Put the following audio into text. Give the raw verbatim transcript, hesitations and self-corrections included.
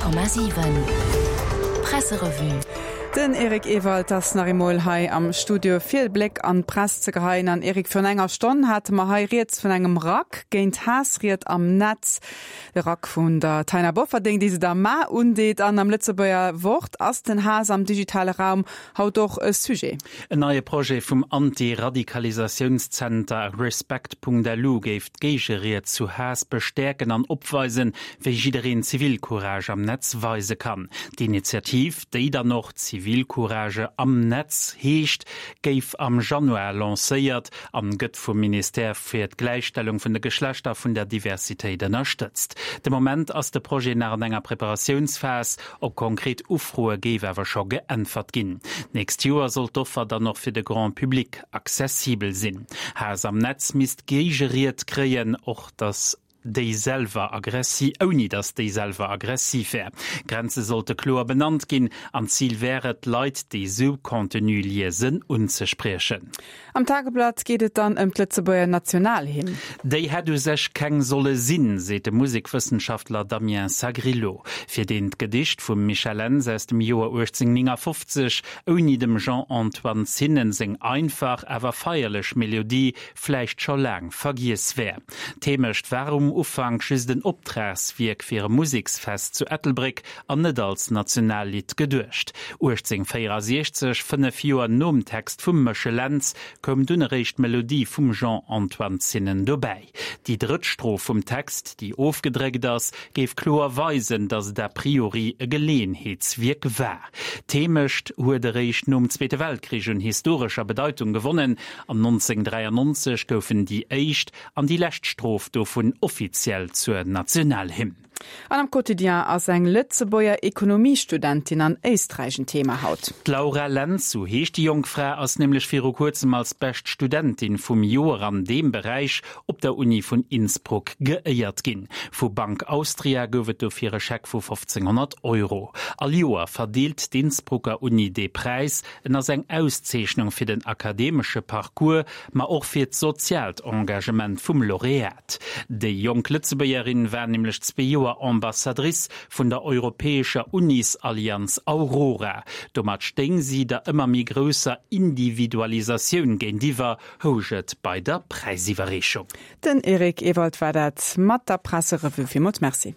Honnert Komma siwen Presserevue. Den Eric Ewald ass nach eemol hei am Studio fir e Bléck an d'Press ze geheien. An Eric, virun enger Stonn hate mer hei rieds vun engem Rack géint Haassried am Netz. De Rack vun der Taina Bofferding, déi se da mar undeet an am Lëtzebuerger Wort ass den Haass am digitale Raum haut och e Sujet. En neie Projet vum Anti-Radikalisatiounszenter Respect.lu géif d'Géigeried zu Haass bestäerken an opweisen, wéi jiddereen Zivilcourage am Netz weise kann. D'Initiativ, déi dann och Zivilcourage am Netz heescht, géif am Januar lancéiert an gëtt vum Ministère fir d'Gläichstellung vun de Geschlechter vun der Diversitéit ënnerstëtzt. De Moment ass de Projet nach an enger Preparatiounsphas, op konkret Ufroe géif awer scho geäntwert ginn. D'nächst Joer soll d'Offer dann och fir de Grand Public accessibel sinn. Haass am Netz misst Géigeried kréien, och datt déi selwer aggressi ouni datt déi selwer aggressiv wär. Grenze sollte kloer benannt ginn an d'Zil wär et, Leit, déi sou Contenu liesen, unzespriechen. Am Tageblatt geet et dann ëm d'Lëtzebuerger Nationalhymn. Déi hätt u sech keng solle sinn, seet de Musekwëssenschaftler Damien Sagrillo, fir deen d'Gedicht vum Michel Lentz aus dem Joer uechtzénhunnertnéngafofzeg ouni dem Jean-Antoine Zinnen seng einfach, awer feierlech Melodie vläicht scho laang vergiess wär. D'Heemecht war um Ufank just en Optragswierk fir e Museksfest zu Ettelbréck an net als Nationallidd geduecht. uechtzénhunnertvéierasiechzeg, fënnef Joer nom Text vum Mëchel Lentz, koum dunn eréischt d'Melodie vum Jean-Antoine Zinnen dobäi. Déi drëtt Stroph vum Text, déi ofgedréckt ass, géif kloer weisen, datt et a priori e Geleeënheetswierk war. D'Heemecht huet eréischt nom Zweete Weltkrich un historescher Bedeitung gewonnen an nonzénhunnertdräiannonzeg goufen déi éischt an déi lescht Stroph dovun offiziell zur Nationalhymn. An am Quotidien ass eng Lëtzebuerger Ekonomiestudentin an Éisträich en Thema haut. D'Laura Lentz, sou heescht déi jonk Fra, ass nämlech viru kuerzem als bescht Studentin vum Joer an deem Beräich op der Uni vun Innsbruck geéiert ginn. Vu Bank Austria gouf et dofir e Scheck vu fofzénghonnert Euro. All Joer verdeelt d'Innsbrucker Uni dee Präis. En ass eng Auszeechnung fir den akademesche Parcours, ma och fir d'soziaalt Engagement vum Laureat. Déi jonk Lëtzebuergerin war nämlech zwee Joer Ambassadrice vun der europäescher Unisallianz Aurora. Domat stéing si der ëmmer méi grousser Individualisatioun géintiwwer, housch et bei der Präisiwwerreechung. Den Eric Ewald war dat mat der Presserevue. Villmools Merci.